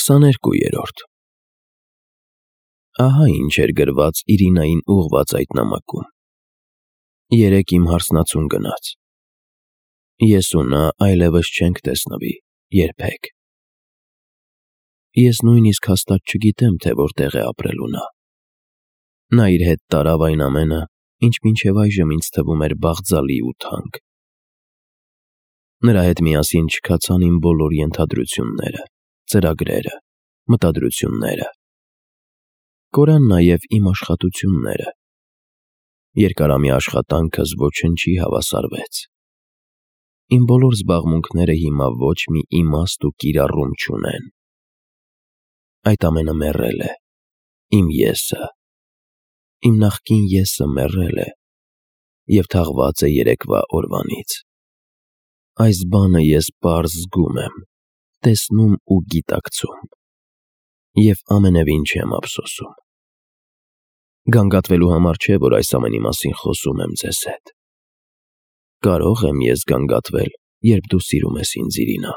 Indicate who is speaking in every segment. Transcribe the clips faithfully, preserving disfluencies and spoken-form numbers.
Speaker 1: Քսաներկուերորդ Ահա ինչ էր գրված Իրինային ուղղված այդ նամակում. Երեկ իմ հարսնացուն գնաց։ Ես ու նա այլևս չենք տեսնվի երբեք։ Ես նույնիսկ հաստատ չգիտեմ, թե որտեղ է ապրելու նա։ Նա իր հետ տարավ այն ամենը, ինչ մինչև այժմ ինձ թվում էր բաղձալի ու թանկ։ Նրա հետ միասին չքացան իմ բոլոր ենթադրությունները, ծրագրերը, մտադրությունները։ Կորան նաև իմ աշխատությունները։ Երկարամյա աշխատանքս ոչնչի հավասարվեց։ Իմ բոլոր զբաղմունքները հիմա ոչ մի իմաստ ու կիրառում չունեն։ Այդ ամենը մեռել է, իմ եսը, իմ նախկին եսը մեռել է և թաղված է երեկվա օրվանից։ Այս բանը ես պարզ զգում եմ, տեսնում ու գիտակցում և ամենևին չեմ ափսոսում։ Գանգատվելու համար չէ, որ այս ամենի մասին խոսում եմ ձեզ հետ։ Կարո՞ղ եմ ես գանգատվել, երբ դու սիրում ես ինձ, Իրինա։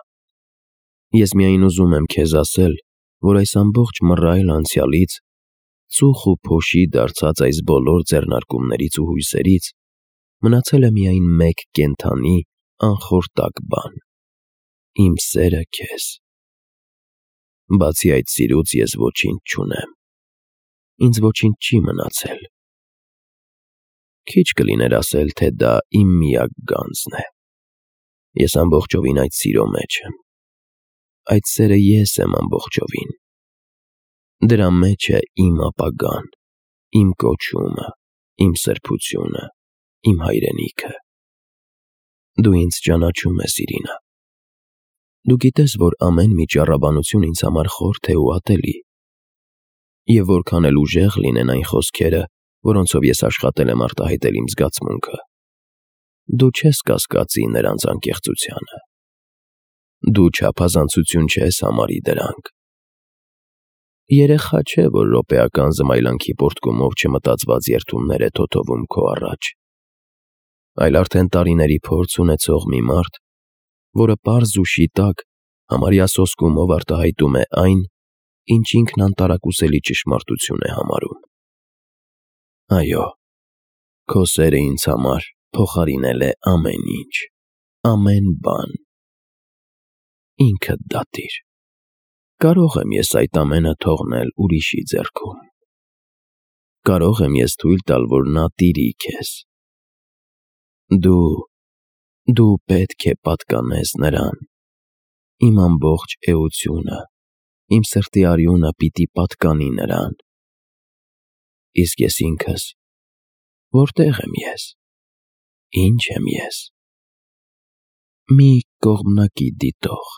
Speaker 1: Ես միայն ուզում եմ քեզ ասել, որ այս ամբողջ մռայլ անցյալից, ծուխ ու փոշի դարձած այս բոլոր ձեռնարկումներից ու հույսերից մնացել է միայն մեկ կենդանի, անխորտակ բան՝ իմ սերը քեզ։ Բացի այդ սիրուց ես ոչինչ չունեմ։ Ինձ ոչինչ չի մնացել։ Քիչ կլիներ ասել, թե դա իմ միակ գանձն է։ Ես ամբողջովին այդ սիրո մեջ եմ։ Այդ սերը ես եմ ամբողջովին։ Դրա մեջ է իմ ապագան, իմ կոչումը, իմ սրբությունը, իմ հայրենիքը։ Դու ինձ ճանաչում ես, Իրինա։ Դու գիտես, որ ամեն մի ճառաբանություն ինձ համար խորթ է ու ատելի, և որքան էլ ուժեղ լինեն այն խոսքերը, որոնցով ես աշխատել եմ արտահայտել իմ զգացմունքը, դու չես կասկածի նրանց անկեղծությանը։ Դու չափազանցություն չես համարի դրանք։ Երեխա չէ, որ րոպեական զմայլանքի պոռթկումով չմտածված երդումներ է թոթովում քո առաջ, այլ արդեն տարիների փորձ ունեցող մի մարդ, որը պարզ ու շիտակ, համարյա սոսկումով արտահայտում է այն, ինչ ինքն անտարակուսելի ճշմարտություն է համարում։ Այո, քո սերը ինձ համար փոխարինել է ամեն ինչ, ամեն բան։ Ինքդ դատիր։ Կարո՞ղ եմ ես այդ ամենը թողնել ուրիշի ձեռքում։ Կարո՞ղ եմ ես թույլ տալ, որ նա տիրի քեզ։ Դու… դու պետք է պատկանես նրան։ Իմ ամբողջ էությունը, իմ սրտի արյունը պիտի պատկանի նրան։ Իսկ ես ինքս… որտե՞ղ եմ ես։ Ի՞նչ եմ ես։ Մի կողմնակի դիտող։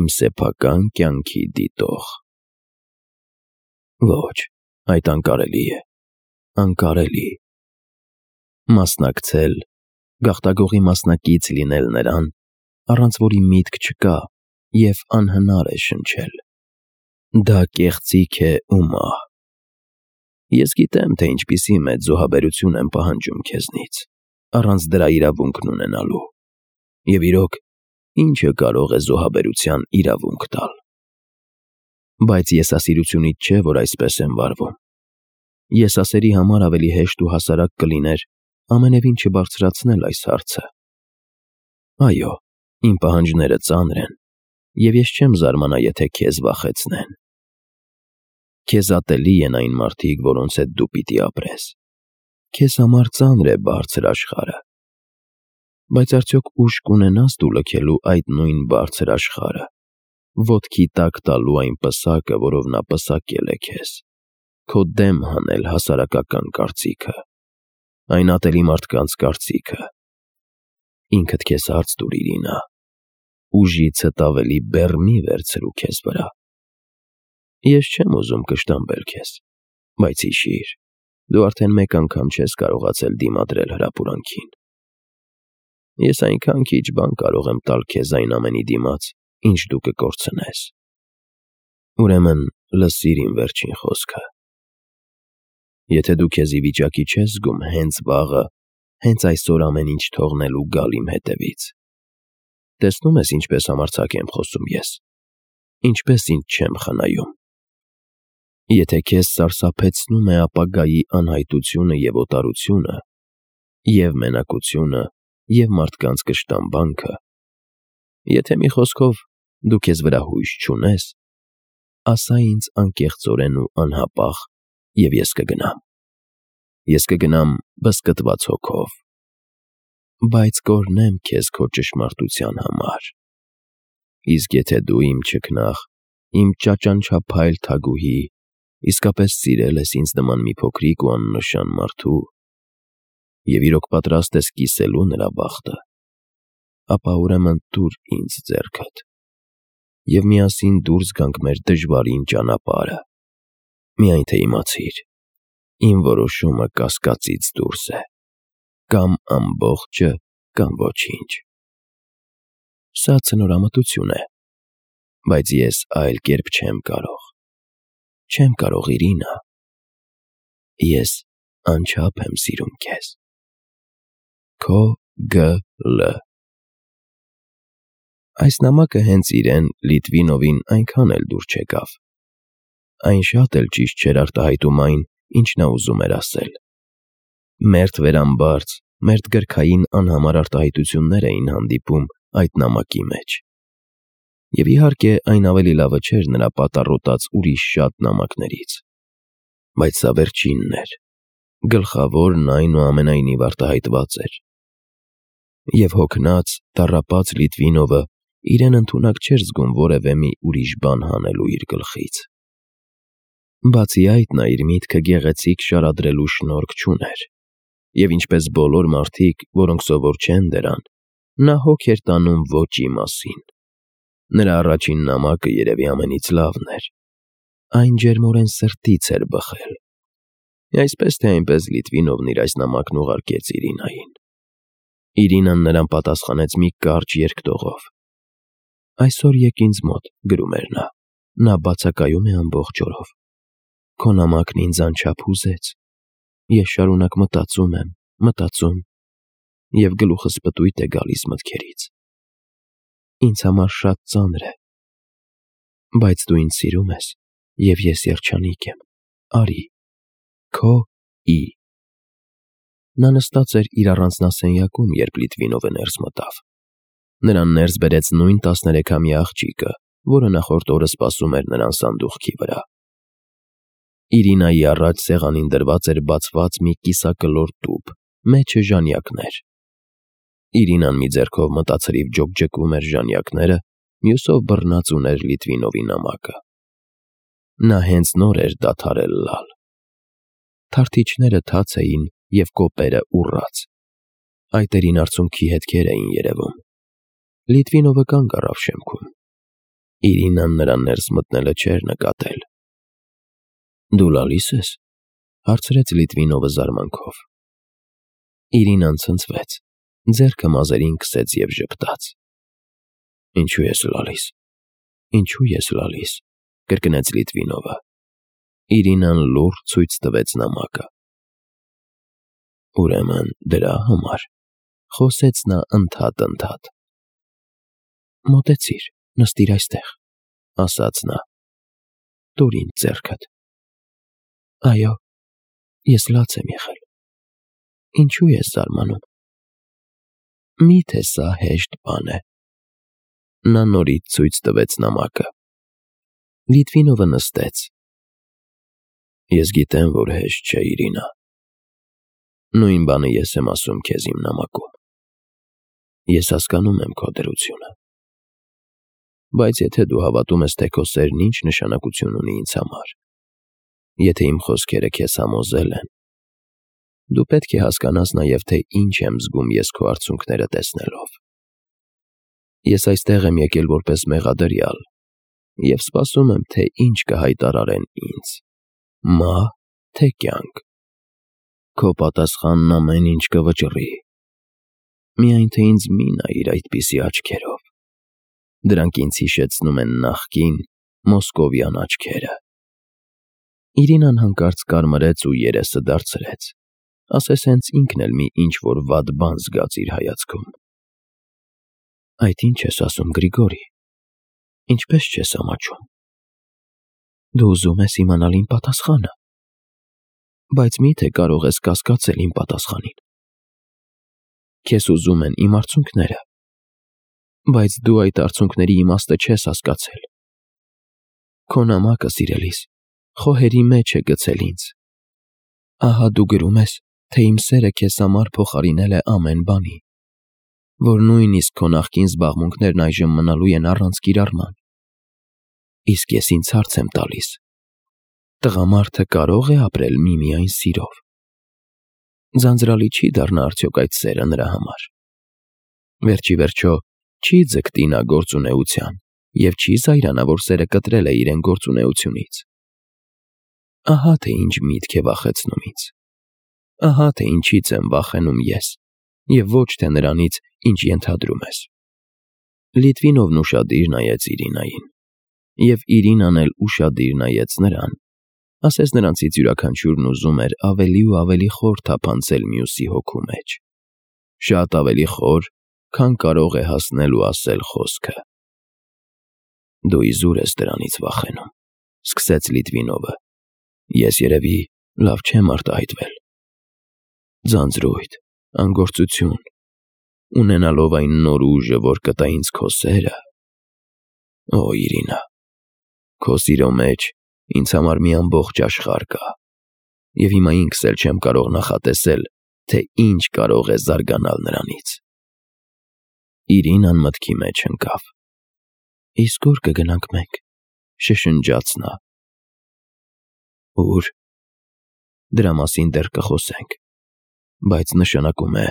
Speaker 1: Իմ սեփական կյանքի դիտող։ Ոչ, այդ անկարելի է, անկարելի։ Մասնակցել, գաղտագողի մասնակից լինել նրան, առանց որի միտք չկա և անհնար է շնչել։ Դա կեղծիք է ու մահ։ Ես գիտեմ, թե ինչպիսի մեծ զոհաբերություն եմ պահանջում քեզնից, առանց դրա իրավունքն ունենալու, և իրոք, ի՞նչը կարող է զոհաբերության իրավունք տալ։ Բայց եսասիրությունից չէ, որ այսպես եմ վարվում։ Եսասերի համար ավելի հեշտ ու հասարակ կլիներ ամենևին չբարձրացնել այս հարցը։ Այո, իմ պահանջները ծանր են, և ես չեմ զարմանա, եթե քեզ վախեցնեն։ Քեզ ատելի են այն մարդիկ, որոնց հետ դու պիտի ապրես։ Քեզ համար ծանր է բարձր աշխարհը։ Բայց արդյոք ուժ կունենա՞ս դու լքելու այդ նույն բարձր աշխարհը, ոտքի տակ տալու այն պսակը, որով նա պսակել է քեզ, քո դեմ հանել հասարակական կարծիքը, այն ատելի մարդկանց կարծիքը։ Ինքդ քեզ հարց տուր, Իրինա, ուժիցդ ավելի բեռ մի վերցրու քեզ վրա։ Ես չեմ ուզում կշտամբել քեզ, բայց հիշիր, դու արդեն մեկ անգամ չես կարողացել դիմադրել հրապուրանքին։ Ես այնքան քիչ բան կարող եմ տալ քեզ այն ամենի դիմաց, ինչ դու կկորցնես։ Ուրեմն լսիր իմ վերջին խոսքը։ Եթե դու քեզ ի վիճակի չես զգում հենց վաղը, հենց այսօր ամեն ինչ թողնել ու գալ իմ հետևից, տեսնում ես ինչպես համարձակ եմ խոսում ես, ինչպես ինձ չեմ խնայում։ Եթե քեզ սարսափեցնում է ապագայի անհայտությունը և օտարությունը, և մենակությունը, և մարդկանց կշտամբանքը, եթե մի խոսքով դու քեզ վրա հույս չունես, ասա ինձ անկեղծորեն ու անհապաղ, և ես կգնամ։ Ես կգնամ բզկտված հոգով, բայց կօրհնեմ քեզ քո ճշմարտության համար։ Իսկ եթե դու իմ չքնաղ, իմ ճաճանչափայլ թագուհի, իսկապես սիրել ես ինձ նման մի փոքրիկ ու աննշան մարդու և իրոք պատրաստ ես կիսելու նրա բախտը, ապա ուրեմն տուր ինձ ձեռքդ, և միասին դուրս գանք մեր դժվարին ճանապարհը։ Միայն թե իմացիր, իմ որոշումը կասկածից դուրս է, կամ ամբողջը, կամ ոչինչ։ Սա ցնորամտություն է, բայց ես այլ կերպ չեմ կարող։ Չեմ կարող, Իրինա։ Ես անչափ եմ սիրում քեզ։ Քո Գ Լ Այս նամակը հենց իրեն Լիտվինովին այնքան էլ դուր չեկավ։ Այն շատ էլ ճիշտ չէր արտահայտում այն, ինչ նա ուզում էր ասել։ Մերթ վերամբարձ, մերթ գրքային անհամար արտահայտություններ էին հանդիպում այդ նամակի մեջ։ Եվ իհարկե այն ավելի լավը չէր նրա պատառոտած ուրիշ շատ նամակներից։ Բայց սա վերջինն էր, գլխավորն այնուամենայնիվ արտահայտված էր։ Եվ հոգնած, տառապած Լիտվինովը իրեն ընդունակ չէր զգում որևէ մի ուրիշ բան հանելու իր գլխից։ Բացի այդ, նա իր միտքը գեղեցիկ շարադրելու շնորք չուներ, և ինչպես բոլոր մարդիկ, որոնք սովոր չեն դրան, նա հոգ էր տանում ոճի մասին։ Նրա առաջին նամակը երևի ամենից լավն էր։ Այն ջերմորեն սրտից էր բխել։ Այսպես թե այնպես Լիտվինովն իր այս նամակն ուղարկեց Իրինային։ Իրինան նրան պատասխանեց մի կարճ երկտողով։ «Այսօր եկ ինձ մոտ», գրում էր նա, «նա բացակայում է ամբողջ օրով։ Քո նամակն ինձ անչափ հուզեց։ Ես շարունակ մտածում եմ, մտածում, և գլուխս պտույտ է գալիս մտքերից։ Ինձ համար շատ ծանր է։ Բայց դու ինձ սիրում ես, և ես երջանիկ եմ։ Արի։ Քո Ի» Նա նստած էր իր առանձնասենյակում, երբ Լիտվինովը ներս մտավ։ Նրան ներս բերեց նույն տասներեքամյա աղջիկը, որը նախորդ օրը սպասում էր նրան սանդուղքի վրա։ Իրինայի առաջ սեղանին դրված էր բացված մի կիսակլոր տուփ, մեջը ժանյակներ։ Իրինան մի ձեռքով մտացրիվ ջոկջկում էր ժանյակները, մյուսով բռնած ուներ Լիտվինովի նամակը։ Նա հենց նոր էր դադարել լալ։ Թարթիչները թաց էին և կոպերը ուռած։ Այտերին արցունքի հետքեր էին երևում։ Լիտվինովը կանգ առավ շեմքում։ Իրինան նրան ներս մտնելը չէր նկատել։ «Դու լալի՞ս ես», հարցրեց Լիտվինովը զարմանքով։ Իրինան ցնցվեց, ձեռքը մազերին քսեց և ժպտաց։ «Ինչու ես լալիս, ինչու ես լալիս», կրկնեց Լիտվինովը։ Իրինան լուռ ցույց տվեց նամակը։ «Ուրեմն դրա համար», խոսեց նա ընդհատ֊ընդհատ։ «Մոտեցիր, նստիր այստեղ», ասաց նա։ «Տուր ինձ ձեռքդ։ Այո, ես լաց եմ եղել։ Ինչու ես զարմանում։ Մի՞թե սա հեշտ բան է»։ Նա նորից ցույց տվեց նամակը։ Լիտվինովը նստեց։ «Ես գիտեմ, որ հեշտ չէ, Իրինա։ Նույն բանը ես եմ ասում քեզ իմ նամակում։ Ես հասկանում եմ քո դրությունը։ Բայց եթե դու հավատում ես, թե քո սերն ինչ նշանակություն ունի ինձ համար, եթե իմ խոսքերը քեզ համոզել են, դու պետք է հասկանաս նաև, թե ինչ եմ զգում ես քո արցունքները տեսնելով։ Ես այստեղ եմ եկել որպես մեղադրյալ և սպասում եմ, թե ինչ կհայտարարեն ինձ՝ մահ, թե կյանք։ Քո պատասխանն ամեն ինչ կվճռի։ Միայն թե ինձ մի նայիր այդպիսի աչքերով։ Դրանք ինձ հիշեցնում են նախկին մոսկովյան աչքերը»։ Իրինան հանկարծ կարմրեց ու երեսը դարձրեց, ասես հենց ինքն էլ մի ինչ-որ վատ բան զգաց իր հայացքում։ «Այդ ի՞նչ ես ասում, Գրիգորի։ Ինչպես չես ամաչում։ Դու ուզում ես իմանալ իմ պատասխանը, բայց մի՞թե կարող ես կասկածել իմ պատասխանին։ Քեզ ուզում են իմ արցունքները, բայց դու այդ արցունքների իմաստը չես հասկացել։ Քո նամակը, սիրելիս, խոհերի մեջ է գցել ինձ։ Ահա դու գրում ես, թե իմ սերը քեզ համար փոխարինել է ամեն բանի, որ նույնիսկ քո նախկին զբաղմունքներն այժմ մնալու են առանց կիրառման։ Իսկ ես ինձ հարց եմ տալիս. տղամարդը կարո՞ղ է ապրել միմիայն սիրով։ Ձանձրալի չի դառնա արդյոք այդ սերը նրա համար։ Վերջի վերջո չի ձգտի նա գործունեության և չի զայրանա, որ սերը կտրել է իրեն գործունեությունից։ Ահա թե ինչ միտք է վախեցնում ինձ։ Ահա թե ինչից եմ վախենում ես, և ոչ թե նրանից, ինչ ենթադրում ես։ Լիտվինովն ուշադիր նայեց Իրինային, և Իրինան էլ ուշադիր նայեց նրան, ասես նրանցից յուրաքանչյուրն ուզում էր ավելի ու ավելի խոր թափանցել մյուսի հոգու մեջ, շատ ավելի խոր, քան կարող է հասնել ու ասել խոսքը։ Դու իզուր ես դրանից վախենում, սկսեց Լիտվինովը, ես երևի լավ չեմ արտահայտվել։ Ձանձրույթ, անգործություն, ունենալով այն նոր ուժը, որ կտա ինձ քո սերը։ Օ, Իրինա, քո սիրո մեջ ինձ համար մի ամբողջ աշխարհ կա, և հիմա ինքս էլ չեմ կարող նախատեսել, թե ինչ կարող է զարգանալ նրանից։ Իրինան մտքի մեջ ընկավ։ Իսկ ո՞ւր կգնանք մենք, շշնջաց նա։ Ո՞ւր։ Դրա մասին դեռ կխոսենք, բայց նշանակում է,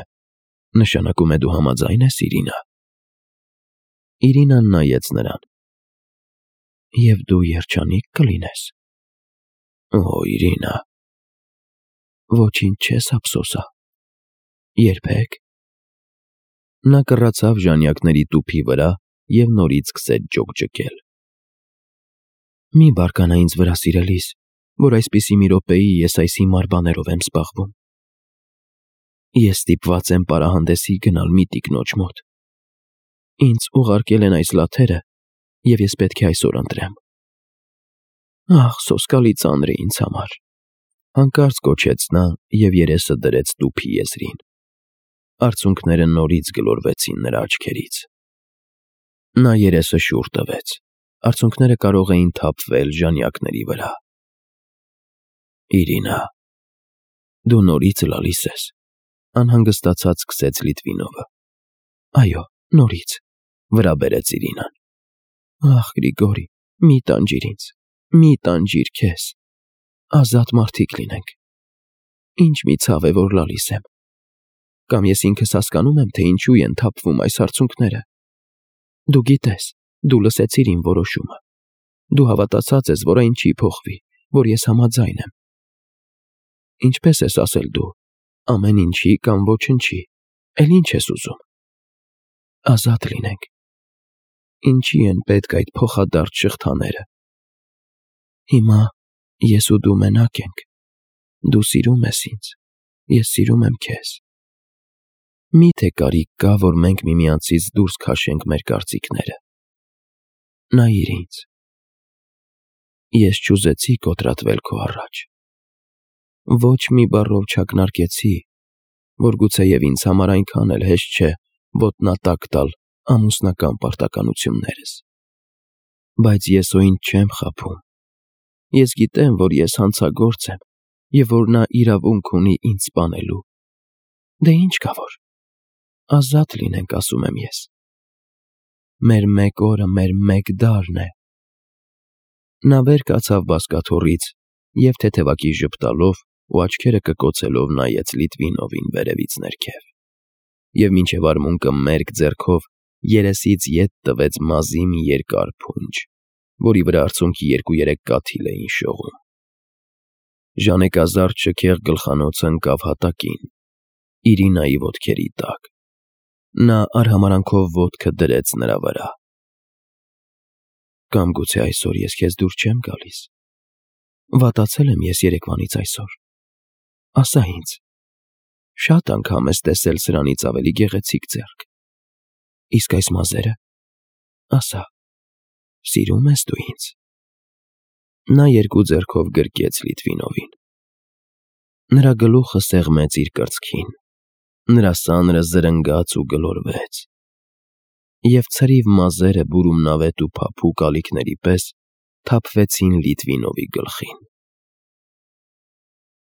Speaker 1: նշանակում է դու համաձայն ես, Իրինա։ Իրինան նայեց նրան։ Եվ դու երջանիկ կլինես։ Օ, Իրինա։ Ոչինչ չես ափսոսա։ Երբեք։ Նա կռացավ ժանյակների տուփի վրա և նորից սկսեց ջոկջկել։ Մի բարկանա ինձ վրա, սիրելիս, որ այսպիսի մի րոպեի ես այս հիմար բաներով եմ զբաղվում։ Ես ստիպված եմ պարահանդեսի գնալ մի տիկնոջ մոտ։ Ինձ ուղարկել են այս լաթերը, և ես պետք է այսօր ընտրեմ։ Ախ, սոսկալի ծանր է ինձ համար, հանկարծ գոչեց նա և երեսը դրեց տուփի եզրին։ Արցունքները նորից գլորվեցին նրա աչքերից։ Նա երեսը շուռ տվեց, արցունքները կարող էին թափվել ժանյակների վրա։ Իրինա, դու նորից լալիս ես, անհանգստացած սկսեց Լիտվինովը։ Այո, նորից, վրա բերեց Իրինան։ Ախ, Գրիգորի, մի տանջիր ինձ, մի տանջիր քեզ, ազատ մարդիկ լինենք։ Ինչ մի ցավ է, որ լալիս եմ։ Կամ ես ինքս հասկանում եմ, թե ինչու են թափվում այս արցունքները։ Դու գիտես, դու լսեցիր իմ որոշումը։ Դու հավատացած ես, որ այն չի փոխվի, որ ես համաձայն եմ։ Ինչպես ես ասել դու, ամեն ինչի կամ ոչնչի, էլ ինչ ես ուզում։ Ազատ լինենք։ Ինչի են պետք այդ փոխադարձ շղթաները։ Հիմա ես ու դու մենակ ենք։ Դու սիրում ես ինձ, ես սիրում եմ քեզ։ Մի՞թե կարիք կա, որ մենք միմյանցից դուրս քաշենք մեր կարծիքները։ Նայիր ինձ։ Ես չուզեցի կոտրատվել քո առաջ։ Ոչ մի բառով չակնարկեցի, որ գուցեև ինձ համար այնքան էլ հեշտ չէ ոտնատակ տալ ամուսնական պարտականություններս։ Բայց ես օ ինձ չեմ խաբում։ Ես գիտեմ, որ ես հանցագործ եմ, և որ նա իրավունք ունի ինձ սպանելու։ Դե ինչ կա որ։ Ազատ լինենք, ասում եմ ես։ Մեր մեկ օրը մեր մեկ դարն է։ Նա վեր կացավ բազկաթոռից և թեթևակի ժպտալով ու աչքերը կկոցելով նայեց Լիտվինովին վերևից ներքև, և մինչև արմունկը մերկ ձեռքով երեսից ետ տվեց մազի մի երկար փունջ, որի վրա արցունքի երկու-երեք կաթիլ էին շողում։ Ժանեկազարդ շքեղ գլխանոցը ընկավ հատակին, Իրինայի ոտքերի տակ։ Նա արհամարանքով ոտքը դրեց նրա վրա։ Կամ գուցե այսօր ես քեզ դուր չեմ գալիս։ Վատացել եմ ես երեկվանից այսօր։ Ասա ինձ, շատ անգամ ես տեսել սրանից ավելի գեղեցիկ ձեռք։ Իսկ այս մազերը, ասա, Սիրում ես դու ինձ։ Նա երկու ձեռքով գրկեց Լիտվինովին։ Նրա գլուխը սեղմեց իր կրծքին, նրա սանրը զրնգաց ու գլորվեց, և ցրիվ մազերը բուրումնավետ ու փափուկ ալիքների պես թափվեցին Լիտվինովի գլխին։